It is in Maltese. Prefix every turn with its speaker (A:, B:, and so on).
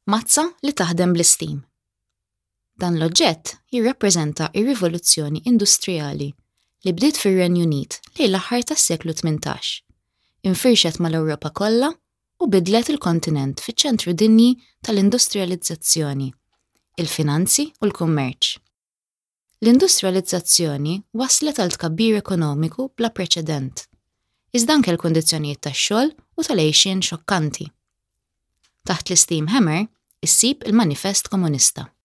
A: Mazza li taħdem bl-istim. Dan l-oġġett jirrappreżenta r-rivoluzzjoni industrijali li bdiet fir-Renju Unit lejn l-aħħar tas-seklu 18, infirxet mal-Ewropa kollha u bidlet il-kontinent fiċ-ċentru dinji tal-industrijalizzazzjoni, il-finanzi u l-kummerċ. L-industrijalizzazzjoni wasslet għal tkabbir ekonomiku bla preċedent, iżda anke l-kundizzjonijiet tax-xogħol u tal-għixien xokkanti. Taħt l-Steam Hammer issib il-Manifest Komunista.